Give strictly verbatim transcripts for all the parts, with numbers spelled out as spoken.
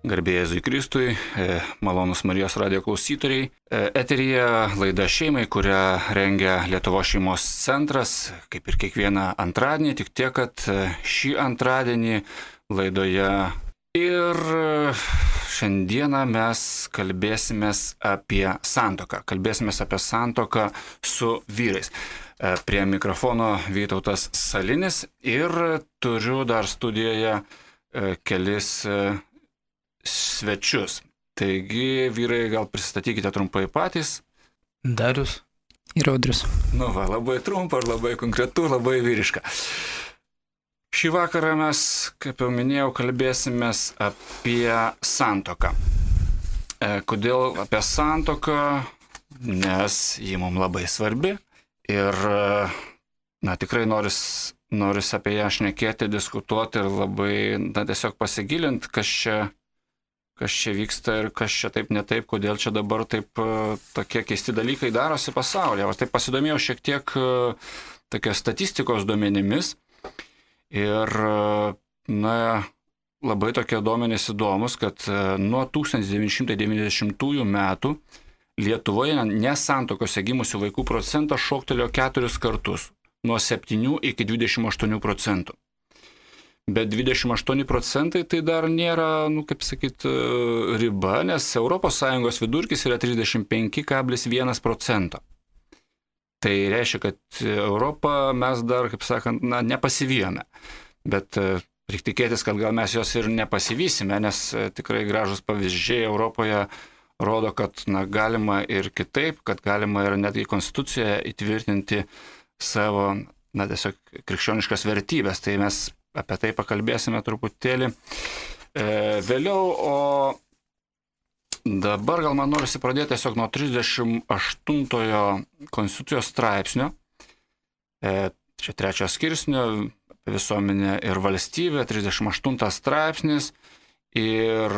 Garbė Jėzui Kristui, malonus Marijos radijo klausytojai. Eteryje laida šeimai, kurią rengia Lietuvos šeimos centras, kaip ir kiekvieną antradienį, tik tiek, kad šį antradienį laidoje ir šiandieną mes kalbėsimės apie santuoką. Kalbėsimės apie santuoką su vyrais. Prie mikrofono Vytautas Salinis ir turiu dar studijoje kelis svečius. Taigi, vyrai, gal pristatykite trumpai patys. Darius ir Audrius. Nu va, labai trumpa, labai konkretu, labai vyriška. Šį vakarą mes, kaip jau minėjau, kalbėsimės apie santuoką. E, kodėl apie santuoką? Nes ji mums labai svarbi ir, na, tikrai noris, noris apie ją šnekėti, diskutuoti ir labai, na, tiesiog pasigilinti, kas čia kas čia vyksta ir kas čia taip netaip, kodėl čia dabar taip tokie keisti dalykai darosi pasaulyje. Aš taip pasidomėjau šiek tiek tokia statistikos duomenimis ir, na, labai tokie duomenys įdomus, kad nuo tūkstantis devyni šimtai devyniasdešimtųjų metų Lietuvoje nesantuokose gimusių vaikų procentas šoktelėjo keturis kartus, nuo septynių iki dvidešimt aštuonių procentų. Bet dvidešimt aštuoni procentai tai dar nėra, nu, kaip sakyt, riba, nes Europos Sąjungos vidurkis yra trisdešimt penki kablelis vienas procento. Tai reiškia, kad Europą mes dar, kaip sakant, na, nepasivijome. Bet reikia tikėtis, kad gal mes jos ir nepasivysime, nes tikrai gražus pavyzdžiai Europoje rodo, kad, na, galima ir kitaip, kad galima ir netgi konstitucijoje įtvirtinti savo, na, tiesiog krikščioniškas vertybės. Tai mes apie tai pakalbėsime truputėlį e, vėliau, o dabar gal man norisi pradėti tiesiog nuo trisdešimt aštuntojo konstitucijos straipsnio, e, čia trečio skirsnio, visuomenė ir valstybė, trisdešimt aštuntas straipsnis ir,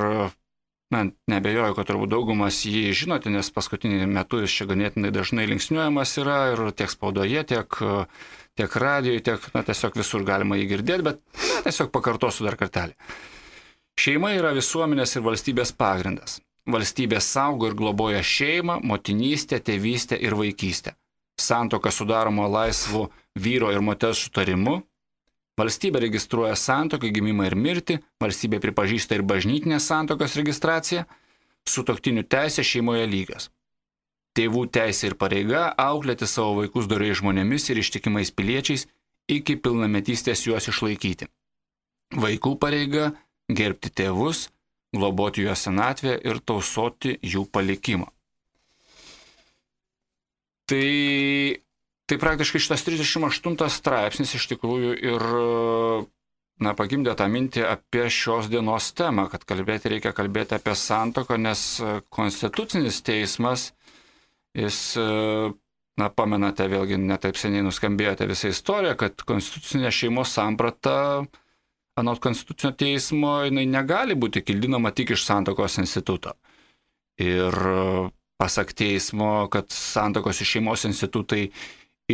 na, nebejoju, kad turbūt daugumas jį žinote, nes paskutinį metu jis čia ganėtinai dažnai linksniuojamas yra ir tiek spaudoje, tiek tiek radijoje, tiek, na, tiesiog visur galima jį girdėti, bet, na, tiesiog pakartosiu dar kartelį. Šeima yra visuomenės ir valstybės pagrindas. Valstybė saugo ir globoja šeimą, motinystę, tėvystę ir vaikystę. Santuoka sudaroma laisvu vyro ir moters sutarimu. Valstybė registruoja santuoką, gimimą ir mirtį. Valstybė pripažįsta ir bažnytinės santuokos registraciją. Sutuoktinių teisė šeimoje lygios. Tėvų teisė ir pareiga auklėti savo vaikus doriais žmonėmis ir ištikimais piliečiais iki pilnametystės juos išlaikyti. Vaikų pareiga gerbti tėvus, globoti juos senatvę ir tausoti jų palikimą. Tai, tai praktiškai šitas trisdešimt aštuntas straipsnis iš tikrųjų ir, na, pagimdė tą mintį apie šios dienos temą, kad kalbėti reikia kalbėti apie santuoką, nes Konstitucinis teismas Jis, na, pamenate, vėlgi netaip seniai nuskambėjote visą istoriją, kad konstitucinė šeimos samprata, anot Konstitucinio teismo, jinai negali būti kildinama tik iš santuokos instituto. Ir pasak teismo, kad santuokos iš šeimos institutai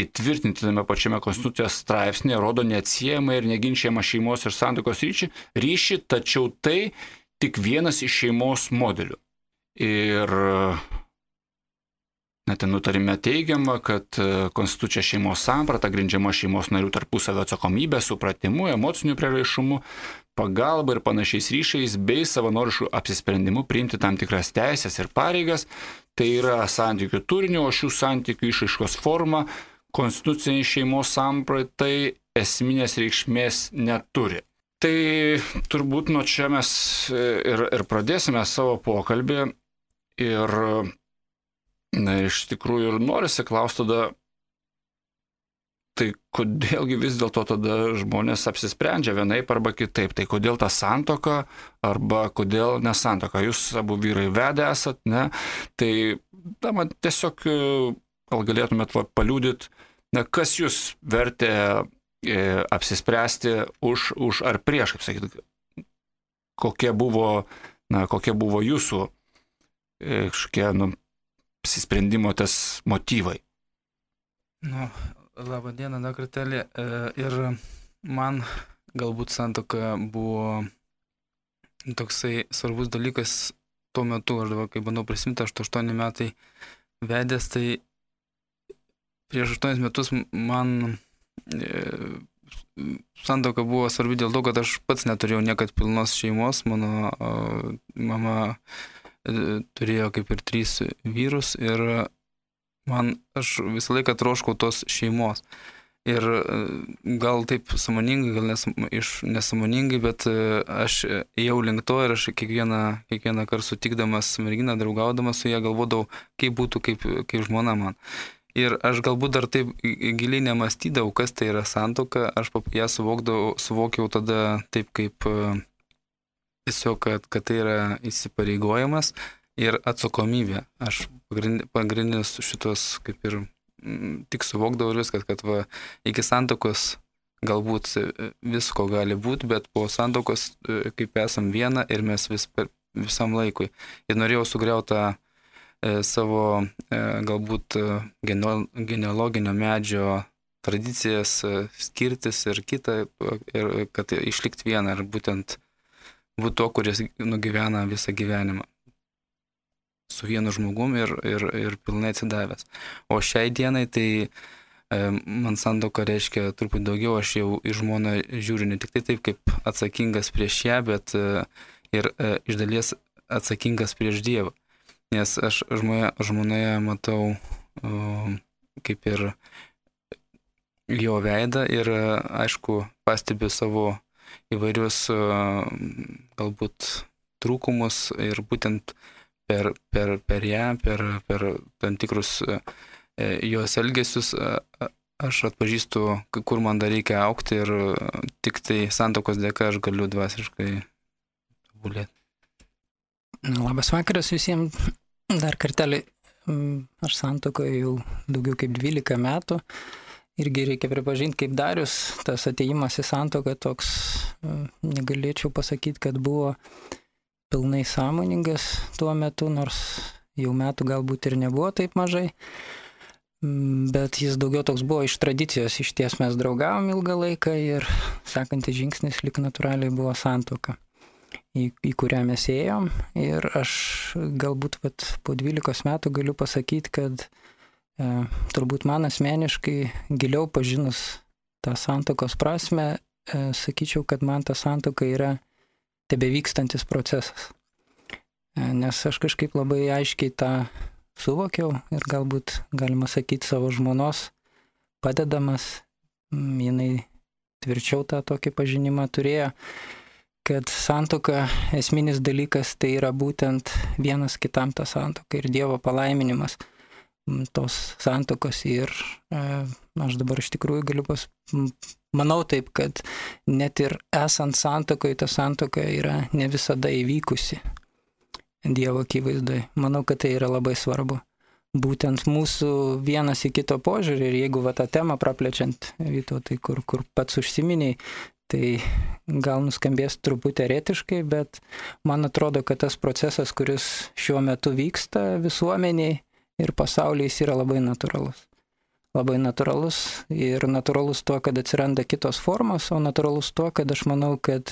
įtvirtinti tame pačiame Konstitucijos straipsnėje rodo neatsiejamą ir neginčiamą šeimos ir santuokos ryšį, ryšį, tačiau tai tik vienas iš šeimos modelių. Ir net nutarime teigiama, kad konstitucija šeimos samprata grindžiama šeimos narių tarpusavio atsakomybė, supratimu, emociniu prieraišumu, pagalba ir panašiais ryšiais bei savanorišku apsisprendimu priimti tam tikras teisės ir pareigas. Tai yra santykių turinio, o šių santykių išraiškos forma konstituciniai šeimos sampratai esminės reikšmės neturi. Tai turbūt nuo čia mes ir, ir pradėsime savo pokalbį ir, na, iš tikrųjų ir norisi klausti tada, tai kodėlgi vis dėlto tada žmonės apsisprendžia vienaip arba kitaip, tai kodėl ta santuoka arba kodėl nesantuoka. Jūs abu vyrai vedę esat, ne? Tai, na, man tiesiog gal galėtumėt paliūdyti, na, kas jūs vertė e, apsispręsti už, už ar prieš, kaip sakyti, kokie buvo, na, kokie buvo jūsų e, kažkokie, nu, apsisprendimo tas motyvai. Nu, labą dieną, dar kartelį. Ir man galbūt santuoka buvo toksai svarbus dalykas tuo metu, aš dabar, kai bandau prisimti, aš aštuoni metai vedęs, tai prieš aštuonis metus man e, santuoka buvo svarbi dėl to, kad aš pats neturėjau niekad pilnos šeimos, mano o, mama e, turėjo kaip ir trys vyrus ir man, aš visą laiką troškau tos šeimos. Ir gal taip sąmoningai, gal nes, iš nesąmoningai, bet aš ėjau link to ir aš kiekvieną, kiekvieną kartą sutikdamas merginą, draugaudamas su ją, galvodavau, kaip būtų kaip, kaip žmona man. Ir aš galbūt dar taip giliai nemastydavau, kas tai yra santuoka, aš ją suvokdavau, suvokiau tada taip kaip tiesiog, kad, kad tai yra įsipareigojimas ir atsakomybė. Aš pagrindinis šitos kaip ir tik suvokdavau ir viskas, kad va, iki santuokos galbūt visko gali būti, bet po santuokos kaip esam viena ir mes vis per visam laikui. Ir norėjau sugriauti tą e, savo e, galbūt genealoginio medžio tradicijas, e, skirtis ir kitą, ir kad išlikti vieną ir būtent būti to, kuris nugyvena visą gyvenimą su vienu žmogum ir, ir, ir pilnai atsidavęs. O šiai dienai tai e, man santuoka reiškia truputį daugiau, aš jau į žmoną žiūriu ne tik tai taip kaip atsakingas prieš ją, bet e, ir e, iš dalies atsakingas prieš Dievą. Nes aš žmoje, žmonoje matau e, kaip ir jo veidą ir e, aišku pastebiu savo įvairius e, galbūt trūkumus ir būtent Per, per, per ją, per, per tam tikrus e, jos elgesius e, aš atpažįstu, kur man dar reikia augti ir tik tai santuokos dėka aš galiu dvasiškai tobulėti. Labas vakaras visiems. Dar kartelį, aš santuokoje jau daugiau kaip dvylika metų. Irgi reikia pripažinti, kaip Darius, tas atėjimas į santuoką toks, negalėčiau pasakyti, kad buvo pilnai sąmoningas tuo metu, nors jau metų galbūt ir nebuvo taip mažai, bet jis daugiau toks buvo iš tradicijos, iš ties mes draugavom ilgą laiką ir sekantis žingsnis lik natūraliai buvo santuoka, į, į kurią mes ėjom ir aš galbūt vat, po dvylikos metų galiu pasakyti, kad e, turbūt man asmeniškai giliau pažinus tą santuokos prasme, e, sakyčiau, kad man ta santuoka yra tebevykstantis procesas. Nes aš kažkaip labai aiškiai tą suvokiau ir galbūt, galima sakyti, savo žmonos padedamas, jinai tvirčiau tą tokį pažinimą turėjo, kad santuoka esminis dalykas tai yra būtent vienas kitam ta santuoka ir Dievo palaiminimas tos santuokos ir e, aš dabar iš tikrųjų galiu pas... Manau taip, kad net ir esant santuokoje, ta santuoka yra ne visada įvykusi Dievo akivaizdoje. Manau, kad tai yra labai svarbu. Būtent mūsų vienas į kito požiūrį ir jeigu va tą temą praplečiant, Vytautai, kur, kur pats užsiminiai, tai gal nuskambės truputį eretiškai, bet man atrodo, kad tas procesas, kuris šiuo metu vyksta visuomeniai ir pasaulyje, jis yra labai natūralus. Labai natūralus ir natūralus tuo, kad atsiranda kitos formos, o natūralus tuo, kad aš manau, kad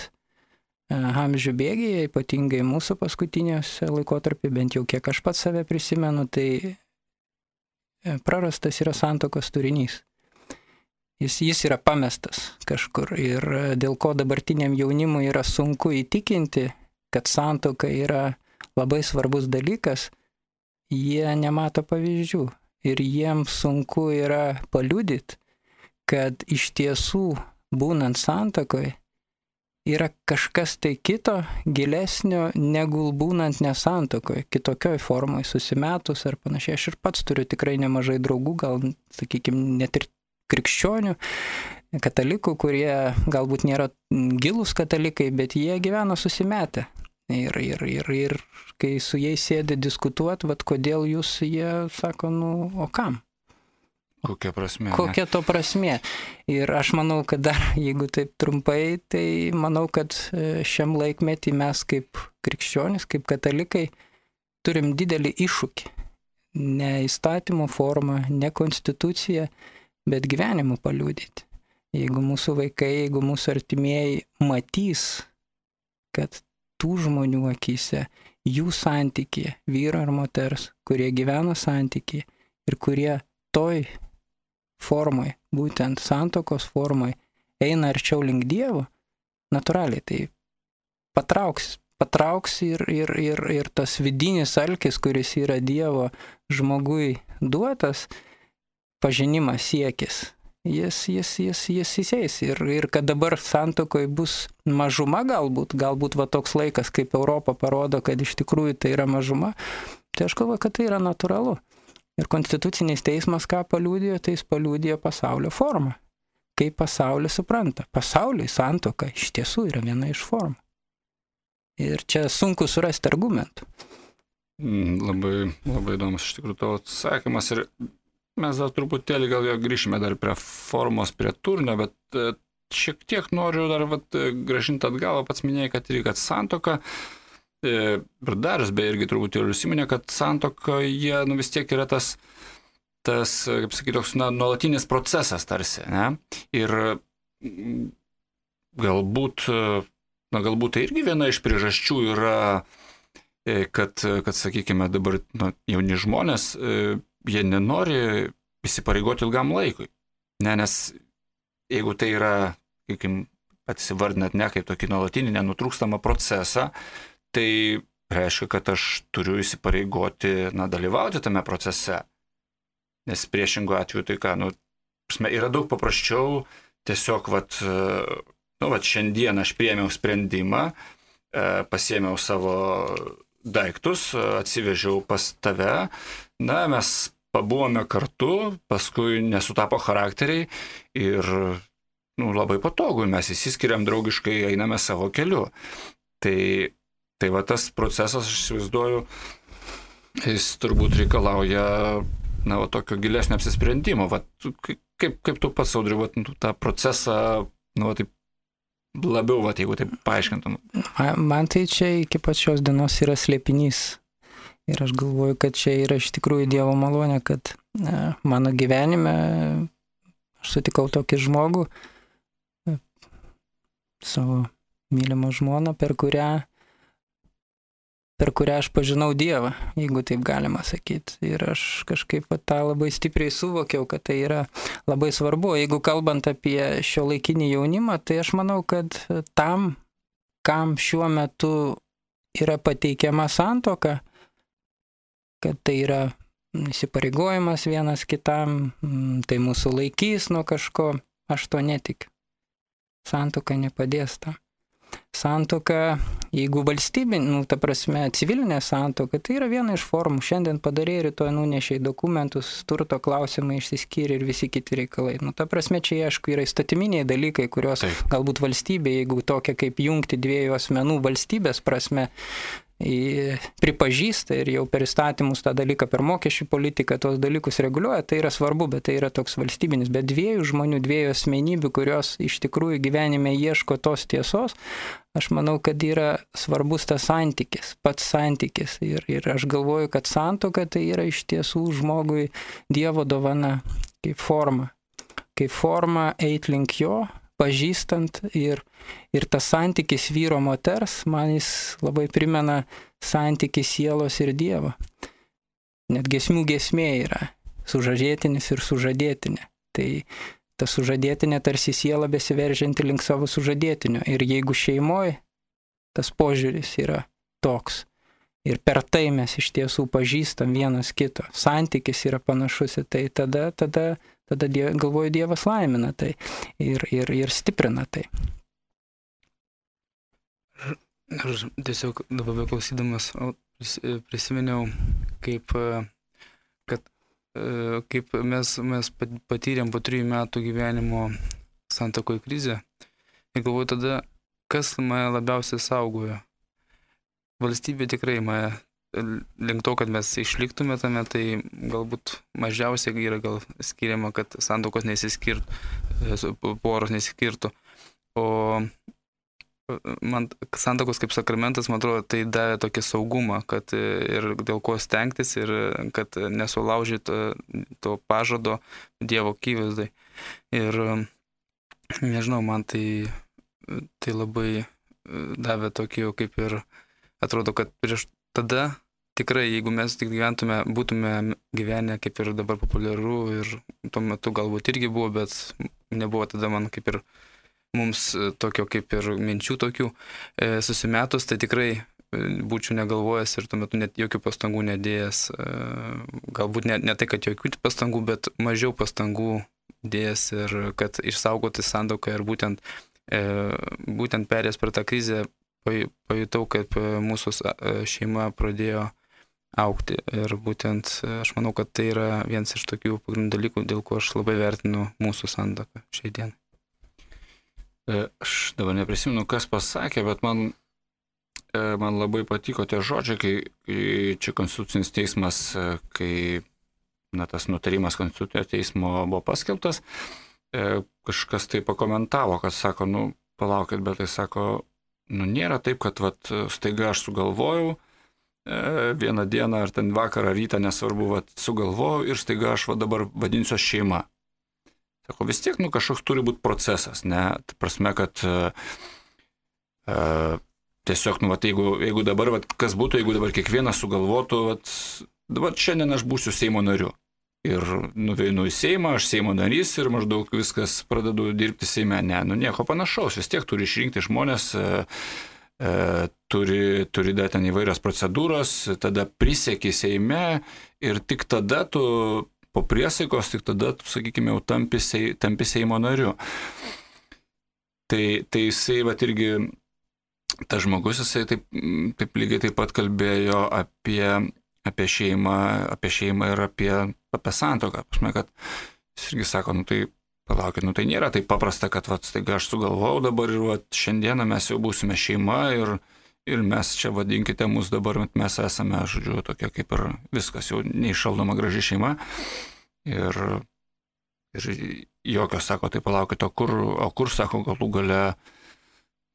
amžių bėgyje, ypatingai mūsų paskutiniuose laikotarpį, bent jau kiek aš pats save prisimenu, tai prarastas yra santuokos turinys. Jis, jis yra pamestas kažkur ir dėl ko dabartiniam jaunimui yra sunku įtikinti, kad santuoka yra labai svarbus dalykas, jie nemato pavyzdžių. Ir jiems sunku yra paliudyti, kad iš tiesų, būnant santuokoje, yra kažkas tai kito, gilesnio, negu būnant nesantuokoje, kitokioj formoje, susimetus ar panašiai. Aš ir pats turiu tikrai nemažai draugų, gal, sakykime, net ir krikščionių, katalikų, kurie galbūt nėra gilūs katalikai, bet jie gyvena susimetę. Ir, ir, ir, ir kai su jais sėdi diskutuoti, vat kodėl jūs, jie sako, nu, o kam? Kokia prasmė? Kokia to prasmė? Ir aš manau, kad dar, jeigu taip trumpai, tai manau, kad šiam laikmetį mes kaip krikščionys, kaip katalikai, turim didelį iššūkį. Ne įstatymų formą, ne konstituciją, bet gyvenimu paliudyti. Jeigu mūsų vaikai, jeigu mūsų artimieji matys, kad tų žmonių akyse, jų santykį, vyro ir moters, kurie gyvena santykį ir kurie toj formai, būtent santokos formai, eina arčiau link Dievo, natūraliai tai patrauks, patrauks ir, ir, ir, ir tas vidinis alkis, kuris yra Dievo žmogui duotas, pažinimas, siekis, jis, jis, jis, jis įseis. Ir, ir kad dabar santokoje bus mažuma galbūt, galbūt va toks laikas, kaip Europa parodo, kad iš tikrųjų tai yra mažuma, tai aš galvoju, kad tai yra natūralu. Ir konstitucinis teismas ką paliudijo, tai jis paliudijo pasaulio formą. Kaip pasaulis supranta. Pasauliui santoka iš tiesų yra viena iš formų. Ir čia sunku surasti argumentų. Mm, labai, labai įdomus iš tikrųjų tavo atsakymas. Ir mes dar truputėlį gal jau grįšime dar prie formos, prie turinio, bet šiek tiek noriu dar vat, grąžinti atgal, pats minėjai, kad ir kad santoka, ir Darius beje irgi truputėlį užsiminė, kad santoka, jie nu, vis tiek yra tas, tas kaip sakyti, toks na, nuolatinis procesas tarsi, ne? Ir galbūt, na, galbūt tai irgi viena iš priežasčių yra, kad, kad sakykime, dabar na, jauni žmonės, jie nenori įsipareigoti ilgam laikui. Ne, nes jeigu tai yra, sakykim, atsivardinat ne kaip tokį nuolatinį, nenutrūkstamą procesą, tai reiškia, kad aš turiu įsipareigoti, na, dalyvauti tame procese. Nes priešingų atveju tai ką, nu, yra daug paprasčiau, tiesiog, vat, nu, vat, šiandien aš priėmiau sprendimą, pasiėmiau savo daiktus, atsivežiau pas tave, na, mes pabuvome kartu, paskui nesutapo charakteriai ir, nu, labai patogu, mes įsiskiriam draugiškai, einame savo keliu. Tai Tai va tas procesas, aš įsivaizduoju, jis turbūt reikalauja, na, va, tokio gilesnio apsisprendimo. Va, kaip, kaip tu pats, Audriau, va, tą procesą, na, va, taip labiau, va, jeigu taip paaiškintum? Man tai čia iki pačios dienos yra slėpinys. Ir aš galvoju, kad čia yra iš tikrųjų Dievo malonė, kad ne, mano gyvenime aš sutikau tokį žmogų, savo mylimą žmoną, per kurią per kurią aš pažinau Dievą, jeigu taip galima sakyti. Ir aš kažkaip tą labai stipriai suvokiau, kad tai yra labai svarbu. Jeigu kalbant apie šio laikinį jaunimą, tai aš manau, kad tam, kam šiuo metu yra pateikiama santoka, kad tai yra įsipareigojimas vienas kitam, tai mūsų laikys nuo kažko, aš to netikiu. Santoka nepadės tam. Santoka, jeigu valstybė, nu, ta prasme, civilinė santoka, tai yra viena iš formų. Šiandien padarė, rytoj nunešiai dokumentus, turto klausimai išsiskyrė ir visi kiti reikalai. Nu, ta prasme, čia, aišku, yra įstatyminiai dalykai, kurios Taip. Galbūt valstybė, jeigu tokia kaip jungti dviejų asmenų valstybės prasme, pripažįsta ir jau per įstatymus tą dalyką, per mokesčių politiką tos dalykus reguliuoja, tai yra svarbu, bet tai yra toks valstybinis. Bet dviejų žmonių, dviejų asmenybių, kurios iš tikrųjų gyvenime ieško tos tiesos, aš manau, kad yra svarbus tas santykis, pats santykis. Ir, ir aš galvoju, kad santuoka tai yra iš tiesų žmogui Dievo dovana, kaip forma. Kaip forma eit link jo, pažįstant ir, ir tas santykis vyro moters, man jis labai primena santykį sielos ir Dievo. Net giesmių giesmė yra sužadėtinis ir sužadėtinė. Tai ta sužadėtinė tarsi siela besiveržianti link savo sužadėtinio. Ir jeigu šeimoje tas požiūris yra toks, ir per tai mes iš tiesų pažįstam vienas kito, santykis yra panašus, tai tada, tada Tada die, galvoju, Dievas laimina tai ir, ir, ir stiprina tai. Aš tiesiog dabar klausydamas prisiminiau, kaip, kad, kaip mes, mes patyrėm po trijų metų gyvenimo santuokoj krizę. Ir galvoju tada, kas mane labiausiai saugojo. Valstybė tikrai mane link to, kad mes išliktume tame, tai galbūt mažiausiai yra gal skiriama, kad santuokos nesiskirtų, poros nesiskirtų. O man santuokos kaip sakramentas, man atrodo, tai davė tokį saugumą, kad ir dėl ko stengtis, ir kad nesulaužyt to pažado Dievo akivaizdai. Ir nežinau, man tai, tai labai davė tokį jau kaip ir, atrodo, kad prieš tada tikrai, jeigu mes tik gyventume, būtume gyvenę kaip ir dabar populiaru ir tuo metu galbūt irgi buvo, bet nebuvo tada man kaip ir mums tokio kaip ir minčių tokių e, susimetus, tai tikrai būčiau negalvojęs ir tuo metu net jokių pastangų nedėjęs, e, galbūt ne, ne tai, kad jokių pastangų, bet mažiau pastangų dėjęs ir kad išsaugoti santuoką ir būtent, e, būtent perėjęs per tą krizę pajutau, kaip mūsų šeima pradėjo augti ir būtent aš manau, kad tai yra vienas iš tokių pagrindinių dalykų, dėl ko aš labai vertinu mūsų santuoką šiai dienai. Aš dabar neprisimenu, kas pasakė, bet man, man labai patiko tie žodžiai, kai, kai čia Konstitucinis teismas, kai na, tas nutarimas Konstitucinio teismo buvo paskelbtas, kažkas tai pakomentavo, kad sako, nu, palaukit, bet tai sako, nu, nėra taip, kad vat, staiga aš sugalvojau, vieną dieną ar ten vakarą rytą, nesvarbu, vat, sugalvojau ir staiga aš va dabar vadinsiu šeima. Sako, vis tiek, nu, kažkoks turi būti procesas, ne? Tai prasme, kad uh, tiesiog, nu, vat, jeigu, jeigu dabar, vat, kas būtų, jeigu dabar kiekvienas sugalvotų, vat, dabar šiandien aš būsiu Seimo nariu. Ir nuveinu į Seimą, aš Seimo narys ir maždaug viskas pradedu dirbti Seime. Ne, nu, nieko panašaus, vis tiek turi išrinkti žmonės, uh, E, turi, turi dar ten įvairios procedūros, tada prisieki Seime ir tik tada tu po priesaikos, tik tada tu, sakykime, jau tampi, tampi Seimo nariu. Tai, tai jisai, vat irgi, tas žmogus, jisai taip, taip lygiai taip pat kalbėjo apie, apie, šeimą, apie šeimą ir apie, apie santuoką. Pasme, kad jis irgi sako, nu tai palaukit, nu tai nėra taip paprasta, kad vat, staiga aš sugalvojau dabar ir vat, šiandieną mes jau būsime šeima ir, ir mes čia vadinkite mus dabar, mes esame, žodžiu, tokia kaip ir viskas, jau neišaldoma graži šeima. Ir, ir jokio, sako, tai palaukit, o kur, o kur sako, galų gale,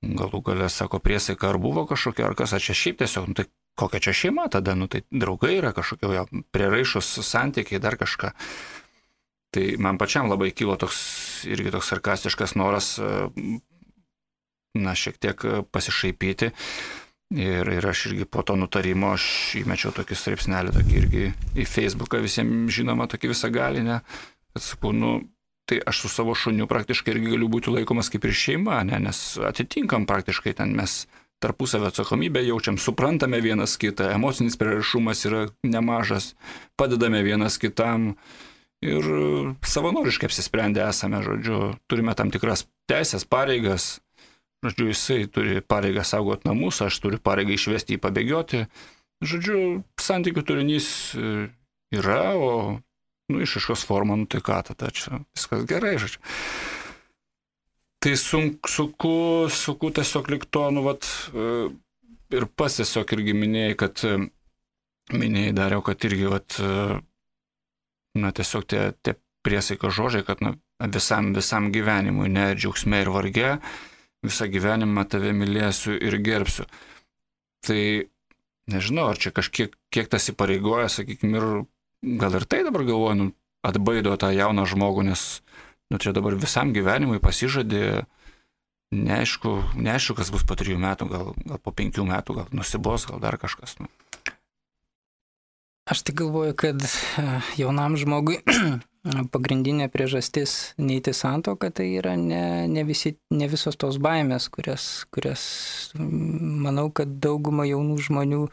galų gale, sako, priesaika ar buvo kažkokia, ar kas, ar čia šiaip tiesiog, nu tai kokia čia šeima tada, nu tai draugai yra kažkokie, jau priraišus santykiai, dar kažką. Tai man pačiam labai kilo toks, irgi toks sarkastiškas noras, na, šiek tiek pasišaipyti. Ir, ir aš irgi po to nutarimo, aš įmečiau tokį straipsnelį, tokį irgi į Facebooką visiems žinoma, tokį visagalinę, kad sakau, nu, tai aš su savo šuniu praktiškai irgi galiu būti laikomas kaip ir šeima, ne, nes atitinkam praktiškai ten mes tarpusavio atsakomybę jaučiam, suprantame vienas kitą, emocinis prieraišumas yra nemažas, padedame vienas kitam. Ir savanoriškai apsisprendę esame, žodžiu, turime tam tikras teisės, pareigas. Žodžiu, jisai turi pareigą saugoti namus, aš turiu pareigą išvesti jį pabėgioti. Žodžiu, santykių turinys yra, o nu, išaiškos forma, nu tai ką tada čia, viskas gerai, žodžiu. Tai sunku, suku, suku tiesiog likto, nu, vat, ir pas tiesiog irgi minėjai, kad minėjai dariau, kad irgi, vat, na, tiesiog tie, tie priesaiko žodžiai, kad na, visam, visam gyvenimui, ne džiaugsme ir varge, visą gyvenimą tave mylėsiu ir gerbsiu. Tai nežinau, ar čia kažkiek kiek tas įpareigoja, sakykime, ir gal ir tai dabar galvoju, nu, atbaido tą jauną žmogų, nes nu, čia dabar visam gyvenimui pasižadė, neaišku, neaišku, kas bus po trijų metų, gal, gal po penkių metų, gal nusibos, gal dar kažkas. Nu. Aš tik galvoju, kad jaunam žmogui pagrindinė priežastis neiti santuoką, tai yra ne, ne, visi, ne visos tos baimės, kurias, kurias manau, kad dauguma jaunų žmonių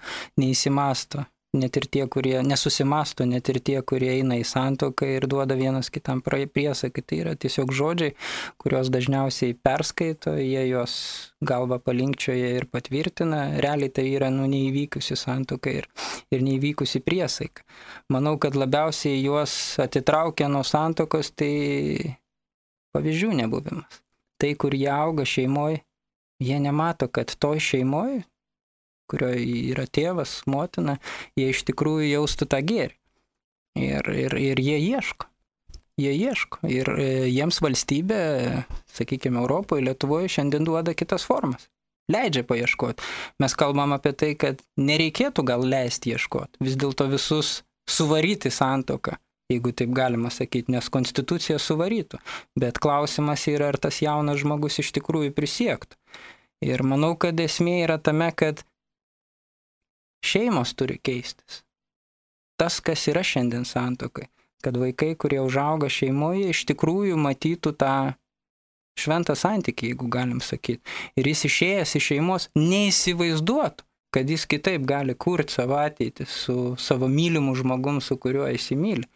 neįsimasto. Net ir tie, kurie nesusimasto, net ir tie, kurie eina į santuoką ir duoda vienas kitam priesaiką. Tai yra tiesiog žodžiai, kuriuos dažniausiai perskaito, jie juos galva palinkčioja ir patvirtina. Realiai tai yra nu, neįvykusi santuoka ir, ir neįvykusi priesaika. Manau, kad labiausiai juos atitraukia nuo santuokos, tai pavyzdžių nebuvimas. Tai, kur jie auga šeimoje, jie nemato, kad toj šeimoje, kurioje yra tėvas, motina, jie iš tikrųjų jaustų tą gėrį. Ir, ir, ir jie ieško. Jie ieško. Ir jiems valstybė, sakykime, Europoje, Lietuvoje šiandien duoda kitas formas. Leidžia paieškoti. Mes kalbam apie tai, kad nereikėtų gal leisti ieškoti. Vis dėlto visus suvaryti santuoką, jeigu taip galima sakyti, nes konstitucija suvarytų. Bet klausimas yra, ar tas jaunas žmogus iš tikrųjų prisiektų. Ir manau, kad esmė yra tame, kad šeimos turi keistis. Tas, kas yra šiandien santuokai, kad vaikai, kurie užauga šeimoje, iš tikrųjų matytų tą šventą santykį, jeigu galim sakyti. Ir jis išėjęs iš šeimos neįsivaizduotų, kad jis kitaip gali kurti savo ateitį su savo mylimu žmogum, su kuriuo įsimyli.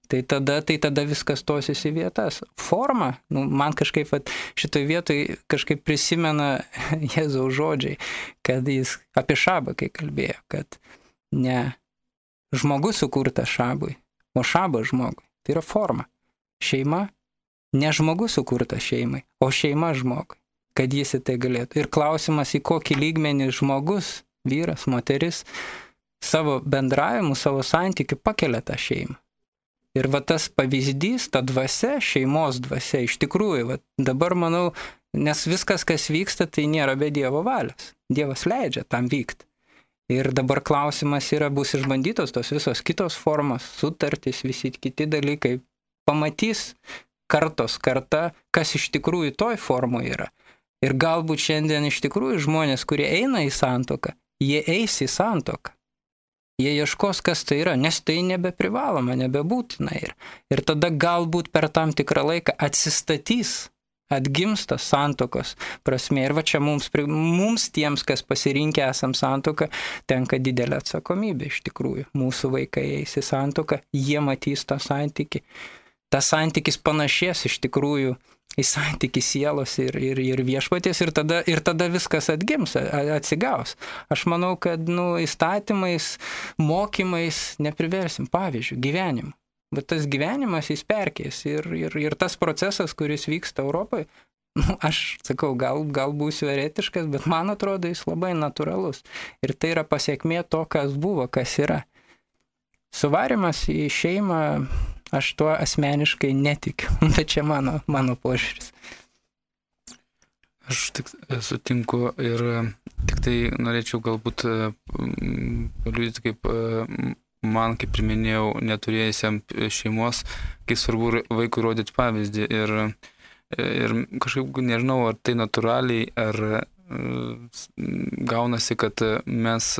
Tai tada, tai tada viskas tosis į vietas. Forma, nu, man kažkaip vat, šitoj vietoj kažkaip prisimena Jėzaus žodžiai, kad jis apie šabą, kai kalbėjo, kad ne žmogus sukurtas šabui, o šabas žmogui. Tai yra forma. Šeima, ne žmogus sukurtas šeimai, o šeima žmogui, kad jis į tai galėtų. Ir klausimas, į kokį lygmenį žmogus, vyras, moteris, savo bendravimu, savo santykiu pakelia tą šeimą. Ir va tas pavyzdys, ta dvasia, šeimos dvasia, iš tikrųjų, va, dabar manau, nes viskas, kas vyksta, tai nėra be Dievo valios. Dievas leidžia tam vykti. Ir dabar klausimas yra, bus išbandytos tos visos kitos formos, sutartys, visi kiti dalykai. Pamatys kartos karta, kas iš tikrųjų toj formoje yra. Ir galbūt šiandien iš tikrųjų žmonės, kurie eina į santuoką, jie eis į santuoką. Jie ieškos, kas tai yra, nes tai nebeprivaloma, nebebūtina. Ir, ir tada galbūt per tam tikrą laiką atsistatys, atgimsta santuokos prasme. Ir va čia mums, mums tiems, kas pasirinkę esam santuoką, tenka didelė atsakomybė iš tikrųjų. Mūsų vaikai eis į santuoką, jie matys tą santykį. Tas santykis panašės iš tikrųjų į santykį sielos ir, ir, ir viešpaties ir tada, ir tada viskas atgims, atsigaus. Aš manau, kad nu, įstatymais, mokymais nepriversim, pavyzdžiui, gyvenimu. Bet tas gyvenimas jis perkės ir, ir, ir tas procesas, kuris vyksta Europoje, nu, aš sakau, gal, gal būsiu eretiškas, bet man atrodo jis labai natūralus. Ir tai yra pasiekmė to, kas buvo, kas yra. Suvarimas į šeimą, aš tuo asmeniškai netikiu, bet čia mano, mano požiūris. Aš tik sutinku ir tik tai norėčiau galbūt paliudyti, kaip man, kaip ir minėjau, neturėjusiam šeimos, kaip svarbu vaikui rodyti pavyzdį. Ir, ir kažkaip nežinau, ar tai natūraliai, ar gaunasi, kad mes,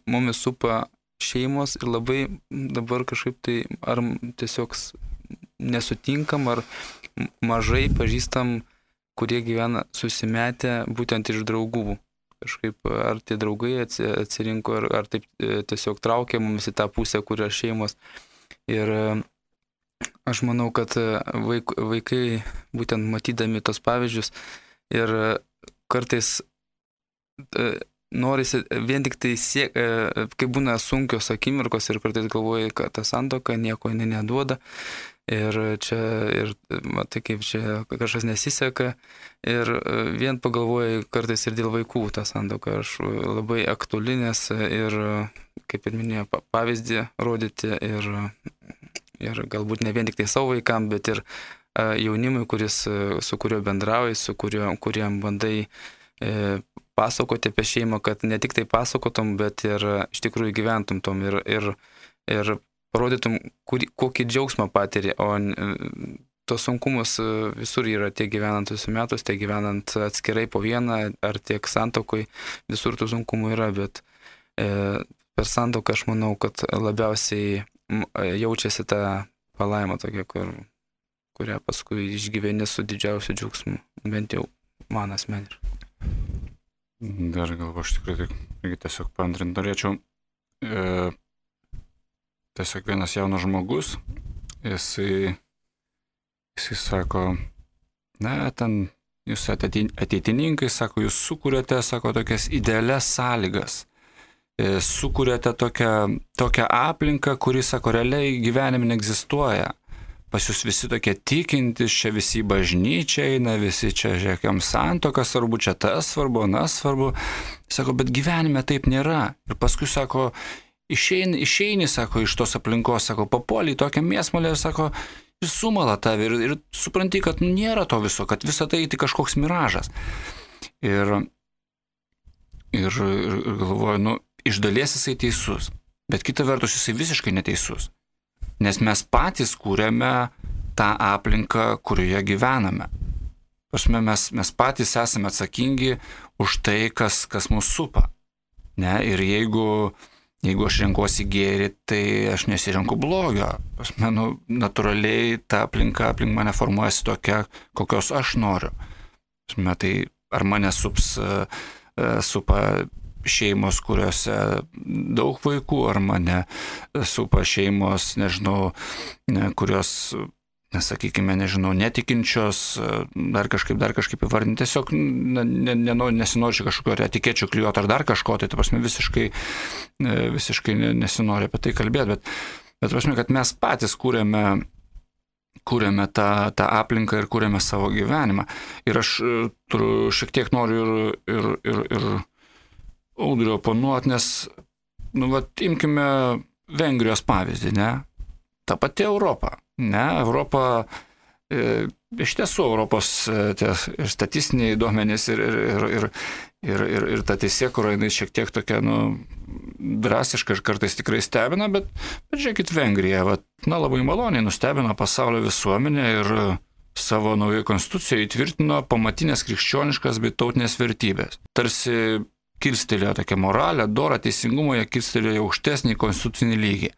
mumis supa šeimos ir labai dabar kažkaip tai ar tiesiog nesutinkam, ar mažai pažįstam, kurie gyvena susimetę būtent iš draugų. Kažkaip ar tie draugai atsirinko, ar, ar taip tiesiog traukia mumis į tą pusę, kur yra šeimos. Ir aš manau, kad vaik, vaikai būtent matydami tos pavyzdžius ir kartais norisi vien tik tai siek, kai būna sunkios akimirkos ir kartais galvoji, kad ta santuoka nieko neduoda ir čia, ir matai, kaip čia kažkas nesiseka ir vien pagalvoji kartais ir dėl vaikų tą santuoką. Aš labai aktuali, nes ir, kaip ir minėjau, pavyzdį rodyti ir, ir galbūt ne vien tik tai savo vaikam, bet ir jaunimui, kuris, su kuriuo bendrauji, su kuriuo, kuriam bandai e, pasakoti apie šeimą, kad ne tik tai pasakotum, bet ir iš tikrųjų gyventum tom ir, ir, ir parodytum, kur, kokį džiaugsmą patiri, o tos sunkumus visur yra tiek gyvenant susimetus, tiek gyvenant atskirai po vieną, ar tiek santokoj, visur tų sunkumų yra, bet e, per santoką aš manau, kad labiausiai jaučiasi ta palaima tokia, kur, kurią paskui išgyveni su didžiausiu džiaugsmu, bent jau man asmeniškai. Dar galvo, aš tikrai irgi tiesiog paantrinti norėčiau. E, tiesiog vienas jaunas žmogus, jisai, jisai sako, ne, ten jūs ateitininkai, sako, jūs sukūrėte, sako, tokias idealias sąlygas. E, sukūrėte tokią, tokią aplinką, kuri, sako, realiai gyvenime neegzistuoja. Pas jūs visi tokie tikintys, čia visi į bažnyčią eina, visi čia žiūrėkiam santuoką svarbu, čia tas svarbu, nas svarbu. Sako, bet gyvenime taip nėra. Ir paskui, sako, išeini, išeini, sako, iš tos aplinkos, sako, papuoli į tokią mėsmalę ir, sako, ir sumala tave ir, ir supranti, kad nu, nėra to viso, kad visa tai tik kažkoks miražas. Ir, ir, ir galvoju, nu, iš dalies jisai teisus, bet kita vertus jisai visiškai neteisus. Nes mes patys kūrėme tą aplinką, kurioje gyvename. Prasme, mes, mes patys esame atsakingi už tai, kas, kas mus supa. Ne? Ir jeigu, jeigu aš renkuosi gėrį, tai aš nesirenku blogio. Aš manau, natūraliai ta aplinka aplink mane formuojasi tokia, kokios aš noriu. Tai ar mane sups, supa šeimos, kuriuose daug vaikų, ar mane supa šeimos, nežinau, kurios, nesakykime, nežinau, netikinčios, dar kažkaip, dar kažkaip įvardinti. Tiesiog ne, ne, nesinori kažkokio etikečių klijuoti ar dar kažko, tai ta prasme visiškai, visiškai nesinori apie tai kalbėti, bet, bet prasme, kad mes patys kūrėme, kūrėme tą, tą aplinką ir kūrėme savo gyvenimą. Ir aš turiu, šiek tiek noriu ir, ir, ir, ir Audriu oponuoti, nes, nu, vat, imkime Vengrijos pavyzdį, ne? Ta pati Europa, ne? Europa, e, iš tiesų, Europos e, tie, ir statistiniai duomenys ir, ir, ir, ir, ir, ir, ir ta teisėkura, jinai šiek tiek tokia, nu, drastiška ir kartais tikrai stebina, bet, bet žiūrėkit, Vengrija, vat, na, labai maloniai nustebino pasaulio visuomenę ir savo naujai konstitucijoje įtvirtino pamatinės krikščioniškas bei tautinės vertybės. Tarsi kilstelėjo tokią moralę, dorą, teisingumą, jie kilstelėjo aukštesnį konstitucinį lygį.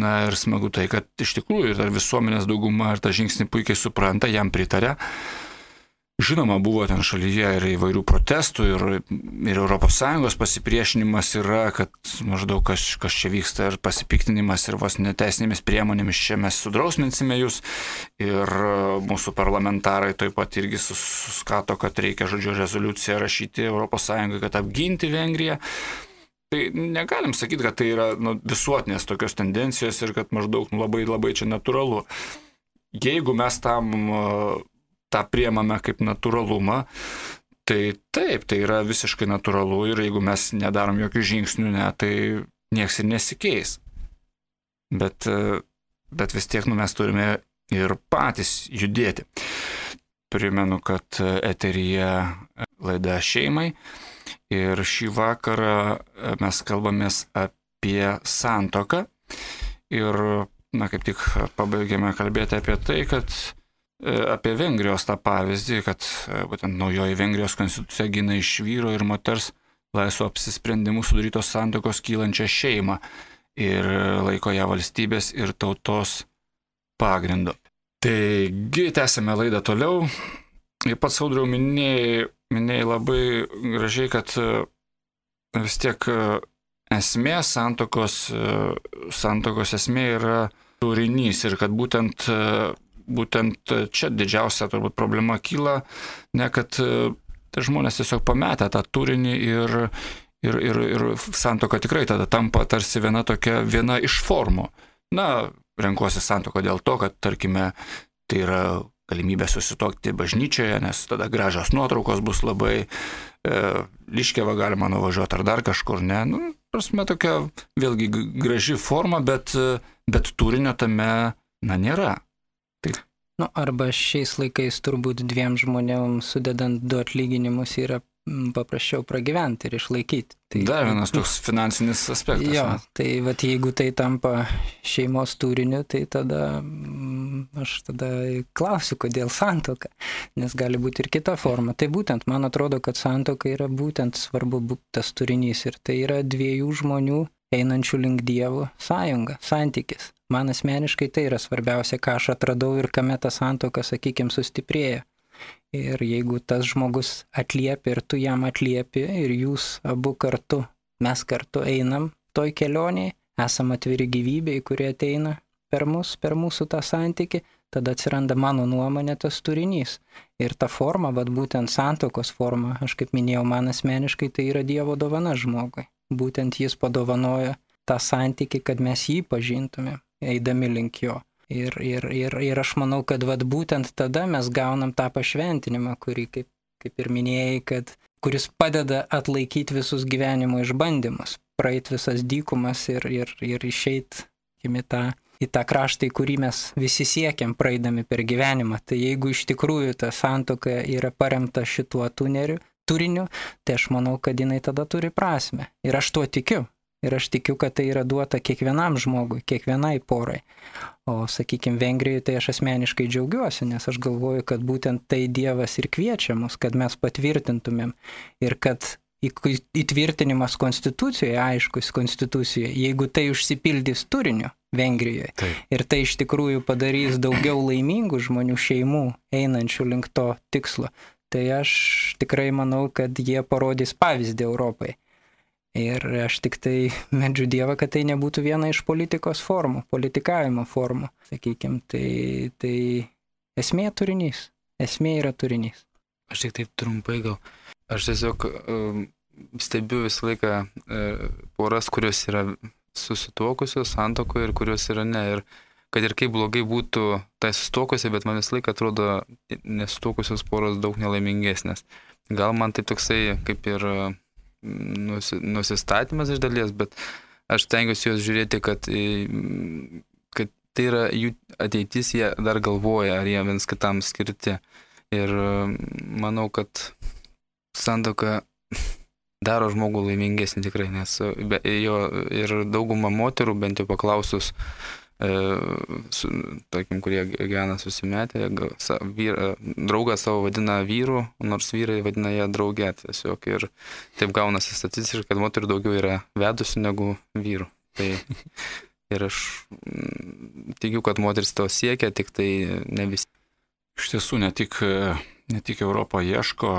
Na ir smagu tai, kad iš tikrųjų ir visuomenės dauguma ir tą žingsnį puikiai supranta, jam pritarė. Žinoma, buvo ten šalyje ir įvairių protestų ir, ir Europos Sąjungos pasipriešinimas yra, kad maždaug kas, kas čia vyksta ir pasipiktinimas ir vos neteisinėmis priemonėmis čia mes sudrausminsime jūs ir mūsų parlamentarai taip pat irgi suskato, kad reikia, žodžiu, rezoliuciją rašyti Europos Sąjungai, kad apginti Vengriją. Tai negalim sakyti, kad tai yra, nu, visuotinės tokios tendencijos ir kad maždaug, nu, labai labai čia natūralu. Jeigu mes tam tą priemame kaip natūralumą, tai taip, tai yra visiškai natūralu ir jeigu mes nedarom jokių žingsnių, ne, tai nieks ir nesikeis. Bet, bet vis tiek, nu, mes turime ir patys judėti. Primenu, kad eteryje laida šeimai ir šį vakarą mes kalbamės apie santuoką ir, na, kaip tik pabaigėme kalbėti apie tai, kad apie Vengrijos tą pavyzdį, kad būtent naujoji Vengrijos konstitucija gina iš vyro ir moters laisvo apsisprendimų sudarytos santuokos kylančią šeimą ir laiko ją valstybės ir tautos pagrindu. Taigi, tęsime laidą toliau. Ir pats, Audriau, minėjai, minėjai labai gražiai, kad vis tiek esmė santuokos, santuokos esmė yra turinys ir kad būtent Būtent čia didžiausia turbūt problema kyla, ne kad tai žmonės tiesiog pametę tą turinį ir, ir, ir, ir santuoka tikrai tada tampa tarsi viena tokia, viena iš formų. Na, renkuosi santuoką dėl to, kad, tarkime, tai yra galimybė susituokti bažnyčioje, nes tada gražios nuotraukos bus labai, e, Liškiavą galima nuvažiuoti ar dar kažkur, ne. Nu, prasme, tokia vėlgi graži forma, bet, bet turinio tame, na, nėra. Taip. Nu, arba šiais laikais turbūt dviem žmonėm sudedant du atlyginimus yra paprasčiau pragyventi ir išlaikyti. Tai, Dar vienas toks finansinis aspektas. Jo, ne? Tai vat, jeigu tai tampa šeimos turiniu, tai tada aš tada klausiu, kodėl santuoka, nes gali būti ir kita forma. Tai būtent, man atrodo, kad santuoka yra būtent svarbu tas turinys ir tai yra dviejų žmonių einančių link Dievo sąjunga, santykis. Man asmeniškai tai yra svarbiausia, ką aš atradau ir kame ta santuoka, sakykime, sustiprėja. Ir jeigu tas žmogus atliepia ir tu jam atliepi ir jūs abu kartu, mes kartu einam toj kelionėje, esam atviri gyvybei, kurie ateina per mus, per mūsų tą santykį, tada atsiranda mano nuomonė tas turinys. Ir ta forma, bet būtent santuokos forma, aš kaip minėjau, man asmeniškai tai yra Dievo dovana žmogui. Būtent jis padovanojo tą santykį, kad mes jį pažintume, eidami link jo. Ir, ir, ir, ir aš manau, kad vat, būtent tada mes gaunam tą pašventinimą, kurį, kaip, kaip ir minėjai, kad, kuris padeda atlaikyti visus gyvenimo išbandymus, praeit visas dykumas ir, ir, ir išeit į tą, į tą kraštą, į kurį mes visi siekiam praeidami per gyvenimą. Tai jeigu iš tikrųjų ta santuoka yra paremta šituo tuneriu, turiniu, tai aš manau, kad jinai tada turi prasme. Ir aš tuo tikiu. Ir aš tikiu, kad tai yra duota kiekvienam žmogui, kiekvienai porai. O, sakykime, Vengrijoje tai aš asmeniškai džiaugiuosi, nes aš galvoju, kad būtent tai Dievas ir kviečia mus, kad mes patvirtintumėm ir kad įtvirtinimas konstitucijoje, aiškus konstitucijoje, jeigu tai užsipildys turiniu Vengrijoje Taip. ir tai iš tikrųjų padarys daugiau laimingų žmonių šeimų einančių link to tikslo, tai aš tikrai manau, kad jie parodys pavyzdį Europai. Ir aš tik tai meldžiu Dievą, kad tai nebūtų viena iš politikos formų, politikavimo formų, sakykime, tai, tai esmė turinys, esmė yra turinys. Aš tik taip trumpai gal. Aš tiesiog uh, stebiu visą laiką uh, poras, kurios yra susituokusios santuokoje ir kurios yra ne. Ir kad ir kaip blogai būtų tai susituokusi, bet man visą laiką atrodo nesusituokusios poros daug nelaimingesnės. Gal man tai toksai kaip ir uh, nusi, nusistatymas iš dalies, bet aš tengiuosi juos žiūrėti, kad, kad tai yra jų ateitis, jie dar galvoja, ar jie viens kitam skirti. Ir uh, manau, kad santuoka daro žmogų laimingesnį tikrai, nes be, jo ir dauguma moterų, bent jau paklausus, e, su, tarkim, kurie gyvena susimetę, sa, vyr, draugą savo vadina vyru, nors vyrai vadina ją draugę. Tiesiog ir taip gaunasi statistiškai, kad moterų daugiau yra vedusių negu vyrų. Tai ir aš tikiu, kad moteris to siekia, tik tai ne visi. Iš tiesų, ne tik, ne tik Europą ieško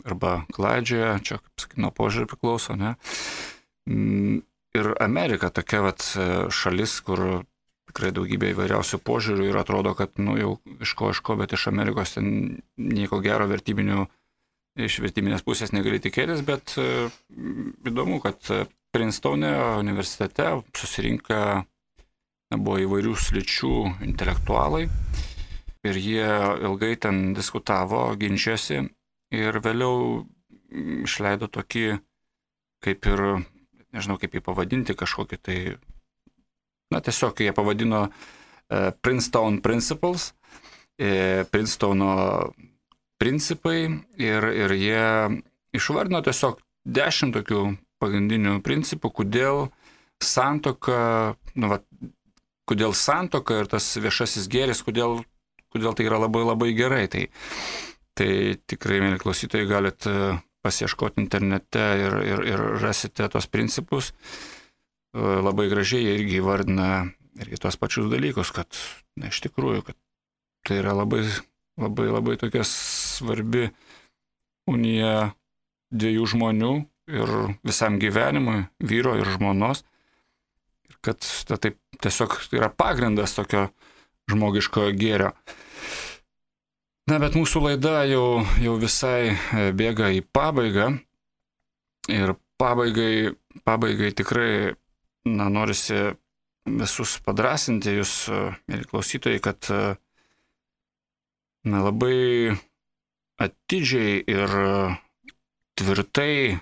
arba klaidžioja, čia, kaip sakyt, nuo požiūrį priklauso, ne? Ir Amerika tokia vat šalis, kur tikrai daugybė įvairiausių požiūrių ir atrodo, kad, nu, jau iš ko, iš ko, bet iš Amerikos ten nieko gero vertybinių, iš vertybinės pusės negali tikėtis, bet įdomu, kad Princetone universitete susirinka, buvo įvairių sričių intelektualai. Ir jie ilgai ten diskutavo, ginčiasi ir vėliau išleido tokį, kaip ir, nežinau kaip jį pavadinti, kažkokį tai, na tiesiog jie pavadino uh, Princeton Principles, e, Princetono principai ir, ir jie išvardino tiesiog dešimt tokių pagrindinių principų, kodėl santuoka, nu, va, kodėl santuoka ir tas viešasis gėris, kodėl kodėl tai yra labai labai gerai. Tai, tai tikrai, mėly klausytojai, galit pasiieškoti internete ir, ir, ir rasite tos principus. Labai gražiai jie irgi įvardina irgi tos pačius dalykus, kad, na, iš tikrųjų, kad tai yra labai, labai, labai tokia svarbi unija dviejų žmonių ir visam gyvenimui, vyro ir žmonos. Ir kad ta, taip tiesiog tai yra pagrindas tokio žmogiškojo gėrio. Na, bet mūsų laida jau, jau visai bėga į pabaigą ir pabaigai, pabaigai tikrai, na, norisi visus padrasinti jūs, mėly klausytojai, kad, na, labai atidžiai ir tvirtai,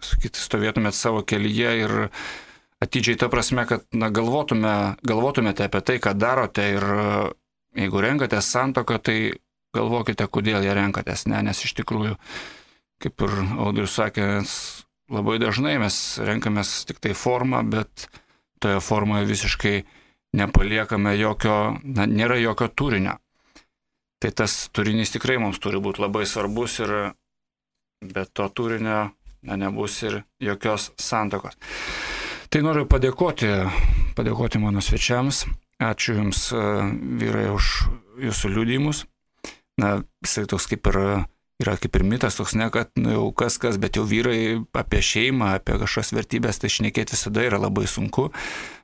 sakyti, stovėtumėt savo kelyje ir atidžiai ta prasme, kad, na, galvotume, galvotumėte apie tai, ką darote ir jeigu renkatės santuoką, tai galvokite, kodėl ją renkatės, ne, nes iš tikrųjų, kaip ir Audrius sakė, labai dažnai mes renkamės tik tai formą, bet toje formoje visiškai nepaliekame jokio, na, nėra jokio turinio. Tai tas turinys tikrai mums turi būti labai svarbus ir be to turinio, na, nebus ir jokios santuokos. Tai noriu padėkoti, padėkoti mano svečiams. Ačiū Jums, vyrai, už Jūsų liudijimus. Na, jisai toks kaip ir, yra kaip ir mitas, toks ne, kad, nu, jau kas kas, bet jau vyrai apie šeimą, apie kažkas vertybės, tai šnekėti visada yra labai sunku,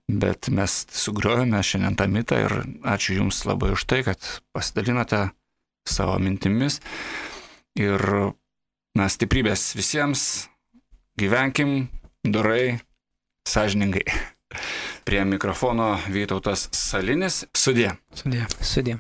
bet mes sugriovėme šiandien tą mitą ir ačiū Jums labai už tai, kad pasidalinote savo mintimis ir, na, stiprybės visiems, gyvenkim dorai, sąžiningai. Prie mikrofono Vytautas Salinis. Sudie. Sudie. Sudie.